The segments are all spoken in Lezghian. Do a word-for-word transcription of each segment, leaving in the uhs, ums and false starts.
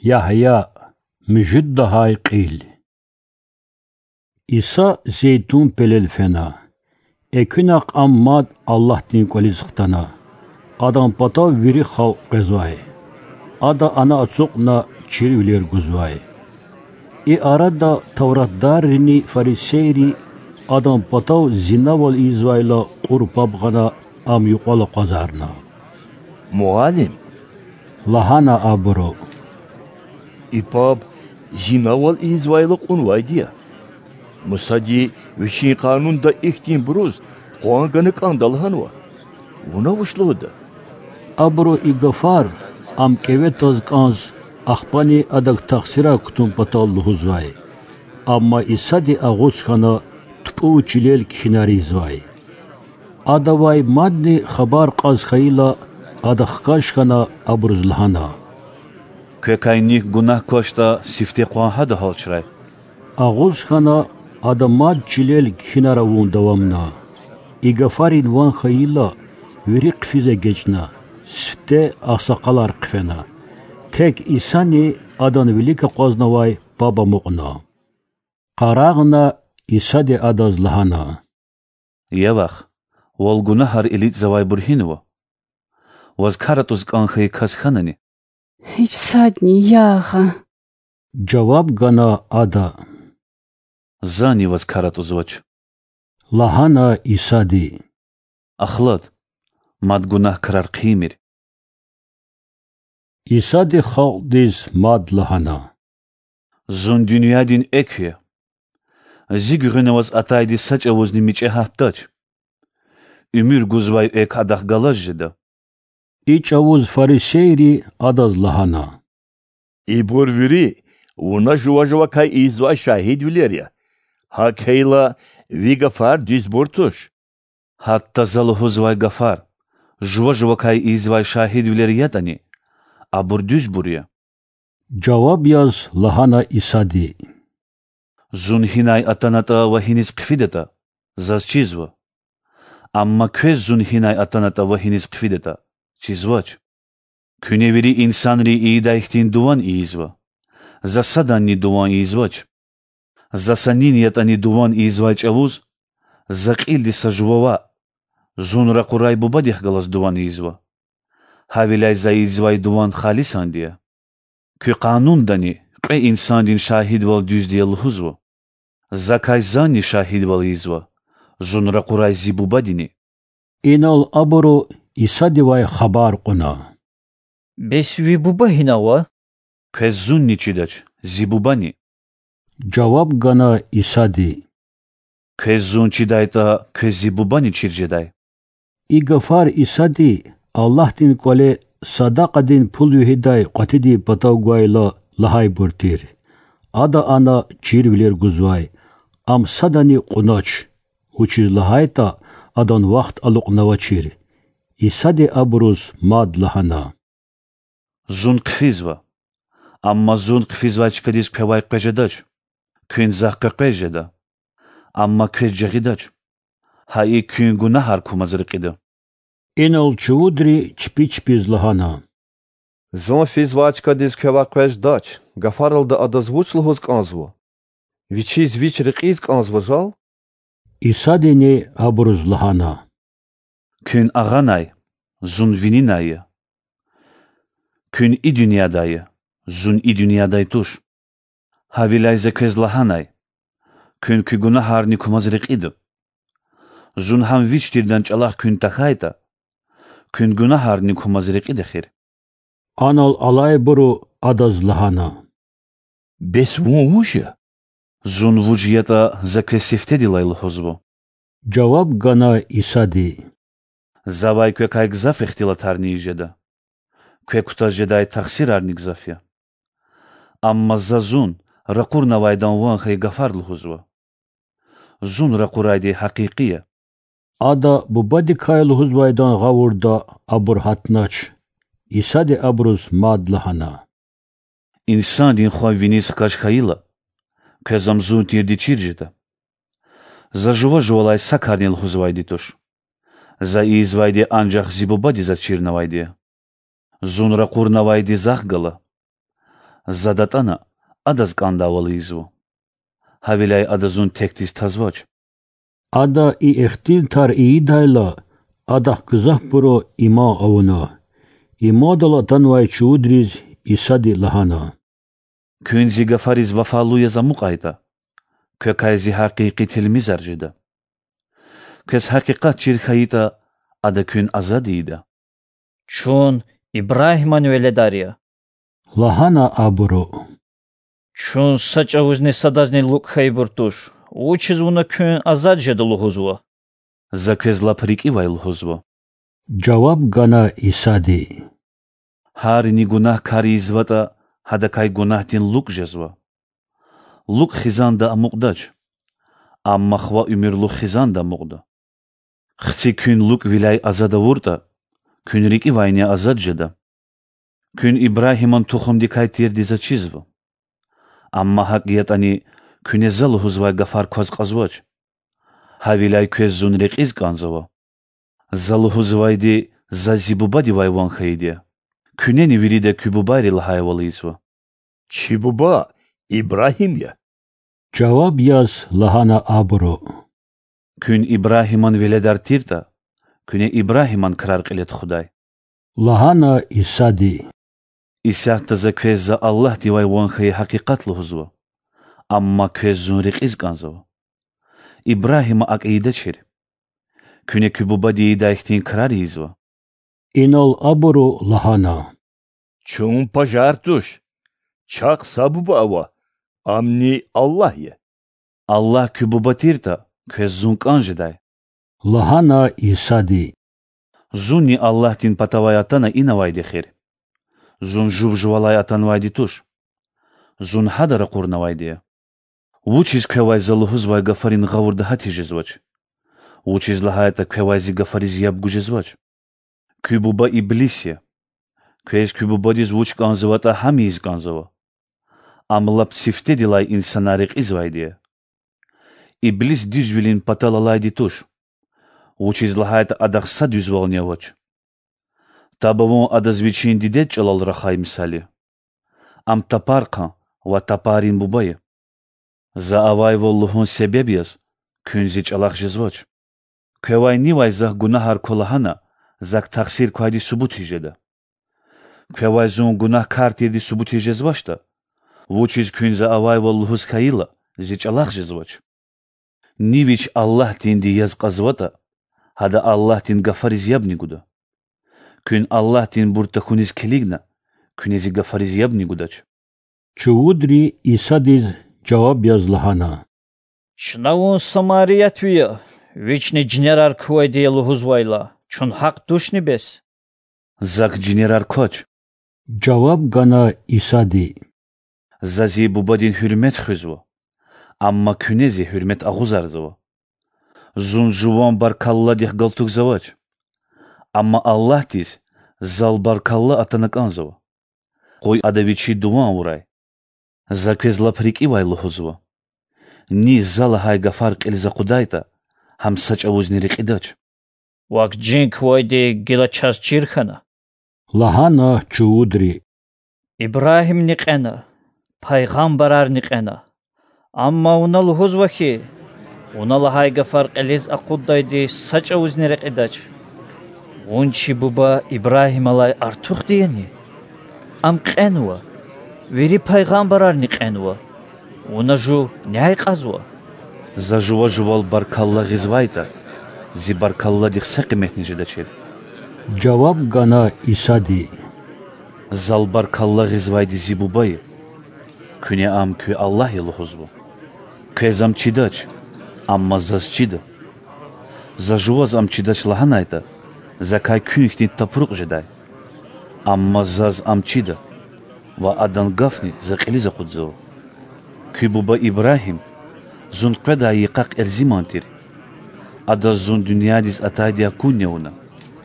Ягья, муьжуьд лагьай кьил. Иса Зейтун пелел фена. Экуьнахъ ам мад Аллагьдин кӀвализ хтана. Адан патав вири халкь къвезвай. Ада ана ацукьна чирвилер гузвай. И арада тавратдаррини фарисейри Адан патав зинавал ийизвайла кьур паб гъана, Ам юкьвал акъвазарна. Муаллим, лагьана абуру, и паб зинавал ийизвайла кьунвайди я. Мусади вичин Къанунда ихьтинбуруз къван гана кӀанда лагьанва. Вуна вуч лугьуда? Абуру и гафар Ам кӀеве тваз кӀанз, ахпани Адак тахсирар кутун патал лугьузвай. Амма Исади агъуз хьана, тупӀув чилел кхьинар ийизвай. Адавай мадни хабар кьаз хьайила, Ада хкаж хьана, абуруз лагьана: Квекай нихъ гунагь квачтӀа, сифте къван гьада гьалчрай. Агъуз хьана, ада мад чилел кхьинар авун давамна. И гафарин ван хьайила, вири хъфиз эгечӀна, сифте агъсакъалар хъфена. Тек Исани Адан вилик акъвазнавай паб амукьна. Къарагъна, Исади адаз лагьана: Я вах, вал гунагьар илитӀзавайбур гьинва? Ваз кар атӀуз кӀан хьайи кас хьанани? Гьич садни, я Агъа,— жаваб гана ада. Зани ваз кар атӀузвач,— лагьана Исади. Ахлад, мад гунагь крар хъийимир. Исади халкьдиз мад лагьана: Зун дуьньядин экв я. Зи гуьгъуьна аваз атайди са чӀавузни мичӀи гьатдач. Уьмуьр гузвай экв адахъ галаз жеда. И чӀавуз фарисейри Адаз лагьана: Ибур вири Вуна жува-жувакай ийизвай шагьидвилер я. ГьакӀ хьайила, Ви гафар дуьзбур туш. Гьатта За лугьузвай гафар жува-жувакай ийизвай шагьидвилер ятӀани, абур дуьзбур я,— жаваб яз лагьана Исади. Зун гьинай атанатӀа ва гьиниз хъфидатӀа, Заз чизва. Амма квез Зун гьинай атанатӀа ва гьиниз хъфидатӀа, чизвач. Куьне вири инсанри ийидай хьтин дуван ийизва, За саданни дуван ийизвач. За са нин ятӀани дуван ийизвай чӀавуз За кьилди са жува ваъ, Зун ракъурай Бубадихъ галаз дуван ийизва. Гьавиляй За ийизвай дуван халисанди я. Куь Къанундани кьве инсандин шагьидвал дуьзди я лугьузва. Закай Зани шагьидвал ийизва, Зун ракъурай Зи Бубадини. Инал абуру Исадивай хабар кьуна: Бес Ви Буба гьина ава? Квез Зунни чидач, Зи Бубани,— жаваб гана Исади. Квез Зун чидайтӀа, квез Зи Бубани чир жедай. И гафар Исади Аллагьдин КӀвале садакьадин пул вегьидай кьватӀидин патав гвайла лагьайбур тир. Ада ана чирвилер гузвай, Ам садани кьунач, вучиз лагьайтӀа Адан вахт алукьнавачир. Исади абуруз мад лагьана: Зун хъфизва, амма Зун хъфизвай чкадиз квевай къвез жедач. Куьн Захъ къекъвез жеда, амма квез жагъидач. Гьа икӀ куьн гунагьар кумаз рекьида. Инал чувудри чпи чпиз лагьана: Зун физвай чкадиз квевай къвез жедач гафаралди адаз вуч лугьуз кӀанзава? Вичиз вич рекьиз кӀанзава жал? Исадини абуруз лагьана: Куьн агъанай, Зун вининай я. Куьн и дуьньядай я, Зун и дуьньядай туш. Гьавиляй За квез лагьанай: куьн куь гунагьарни кумаз рекьида. Зун гьам вич тирдан чӀалахъ куьн тахьайтӀа, куьн гунагьарни кумаз рекьида эхир. Анал алайбуру Адаз лагьана: Бес Вун вуж я? Зун вуж ятӀа, За квез сифтедилай лугьузва,— жаваб гана Исади. Завай квекай гзаф ихтилатарни ийиз жеда, квек кутаз жедай тахсирарни гзаф я. Амма За Зун ракъурнавайдан ван хьайи гафар лугьузва. Зун ракъурайди гьакъикъи я. Ада Бубадикай лугьузвайдан гъавурда абур гьатнач. Исади абуруз мад лагьана: Инсандин Хва виниз хкаж хьайила, квез Ам Зун тирди чир жеда. За жува-жувалай са карни лугьузвайди туш. За ийизвайди анжах Зи Бубади Заз чирнавайди я. Зун ракъурнавайди Захъ гала. За датӀана, адаз кӀандайвал ийизва. Гьавиляй ада зун текдиз тазвач. Ада и ихтилатар ийидайла, адахъ гзафбуру иман авуна. Имандал атанвай чувудриз Исади лагьана: Куьн зи гафариз вафалу яз амукьайтӀа, квекай зи гьакъикъи тилмизар жеда. Квез гьакъикъат чир хьайитӀа, Ада куьн азад ийида. Чун Ибрагьиман веледар я,– лагьана абуру. Чун са чӀавузни садазни лукӀ хьайибур туш. Вучиз вуна куьн азад жеда лугьузва? За квез лап рикӀивай лугьузва,– жаваб гана Исади. Гьарини гунагькар ийизватӀа, гьадакай гунагьдин лукӀ жезва. ЛукӀ хизанда амукьдач, амма хва уьмуьрлух хизанда амукьда. Хци куьн лукӀвиляй азад авуртӀа, куьн рикӀивайни азад жеда. Куьн Ибрагьиман тухумдикай тирди за чизва. Амма гьакӀ ятӀани, куьне За лугьузвай гафар кваз кьазвач. Гьавиляй квез Зун рекьиз кӀанзава. За лугьузвайди Заз Зи Бубадивай ван хьайиди я. Куьнени вирида куь бубайри лагьайвал ийизва: Чи буба Ибрагьим я,– жаваб яз лагьана абуру. Куьн Ибрагьиман веледар тиртӀа, куьне Ибрагьиман крар кьиле тухудай,– лагьана Исади. Исятда За квез За Аллагьдивай ван хьайи гьакъикъат лугьузва, амма квез Зун рекьиз кӀанзава. Ибрагьима акӀ ийидачир. Куьне куь бубади ийидай хьтин крар ийизва. Инал абуру лагьана: Чун пажар туш. Чахъ са Буба ава, Амни Аллагь я. Аллагь куь Буба тиртӀа, квез Зун кӀан жедай,– лагьана Исади. Зунни Аллагьдин патавай атана ина авайди эхир. Зун жув жувалай атанвайди туш. Зун гьада ракъурнавайди я. Вучиз квевай За лугьузвай гафарин гъавурда гьат тежезвач? Вучиз лагьайтӀа квевай Зи гафариз яб гуз жезвач. Куь буба иблис я. Квез куь бубадиз вуч кӀанзаватӀа, гьам ийиз кӀанзава. Ам лап сифтедилай инсанар рекьизвайди я. Иблис дуьзвилин патал алайди туш, вучиз лагьайтӀа адахъ са дуьзвални авач. Таб авун адаз вичин дидед чӀалал рахай мисал я. Ам тапархъан ва тапаррин буба я. За авайвал лугьун себеб яз куьн Зи чӀалахъ жезвач. Квевай нивай Захъ гунагьар ква лагьана, Захъ тахсир квайди субутиз жеда. Квевай Зун гунагькар тирди субутиз жезвачтӀа, вучиз куьн За авайвал лугьуз хьайила, Зи чӀалахъ жезвач? Ни вич Аллагьдинди яз кьазватӀа, гьада Аллагьдин гафариз ябни гуда. Куьн Аллагьдинбур тахьуниз килигна, куьне Зи гафариз ябни гудач. Чувудри Исадиз жаваб яз лагьана: Чна Вун самариятви я, Вични жинерар квайди я лугьузвайла, чун гьахъ тушни бес? Захъ жинерар квач,– жаваб гана Исади. За Зи Бубадин гьуьрмет хуьзва, амма куьне Зи гьуьрмет агъузарзава. Зун жуван баркалладихъ галтугзавач, амма Аллагьдиз Зал баркалла атана кӀанзава. Къуй Ада Вичи дуван авурай. За квез лап рикӀивай лугьузва: ни За лагьай гафар кьилиз акъудайтӀа, гьам са чӀавузни рекьидач. Вак жин квайди гила чаз чир хьана,– лагьана чувудри. Ибрагьимни кьена, пайгъамбарарни кьена. Амма вуна лугьузва хьи, вуна лагьай гафар кьилиз акъуддайди са чӀавузни рекьидач. Вун чи буба Ибрагьималай артухди яни? Ам кьенва, вири пайгъамбарарни кьенва. Вуна жув няй кьазва? За жува-жувал баркалла гъизвайтӀа, Зи баркалладихъ са къиметни жедачир,– жаваб гана Исади. Зал баркалла гъизвайди Зи Буба я, куьне Ам куь Аллагь я лугьузва. Квез Ам чидач, амма Заз чида. За жуваз Ам чидач лагьанайтӀа, Закай куьн хьтин тапрукь жедай. Амма Заз Ам чида, ва Адан гафни За кьилиз акъудзава. Куь буба Ибрагьим Зун къведай йикъахъ эрзиман тир. Адаз Зун дуьньядиз атайди акунни авуна,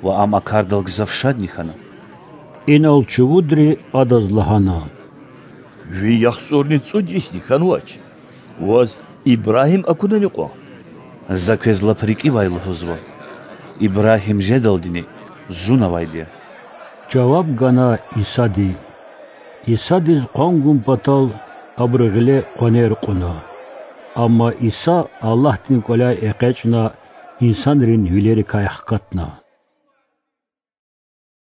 ва ам а кардал гзаф шадни хьана. Инал чувудри Адаз лагьана: Ви яхцӀурни цӀуд йисни хьанвач, Ваз Ибрагьим акунани кьван? За квез лап рикӀивай лугьузва: Ибрагьим жедалдини Зун авайди я,– жаваб гана Исади. Исадиз къван гун патал абуру гъиле къванер кьуна. Амма Иса Аллагьдин КӀваляй экъечӀна, инсанрин вилерикай хкатна.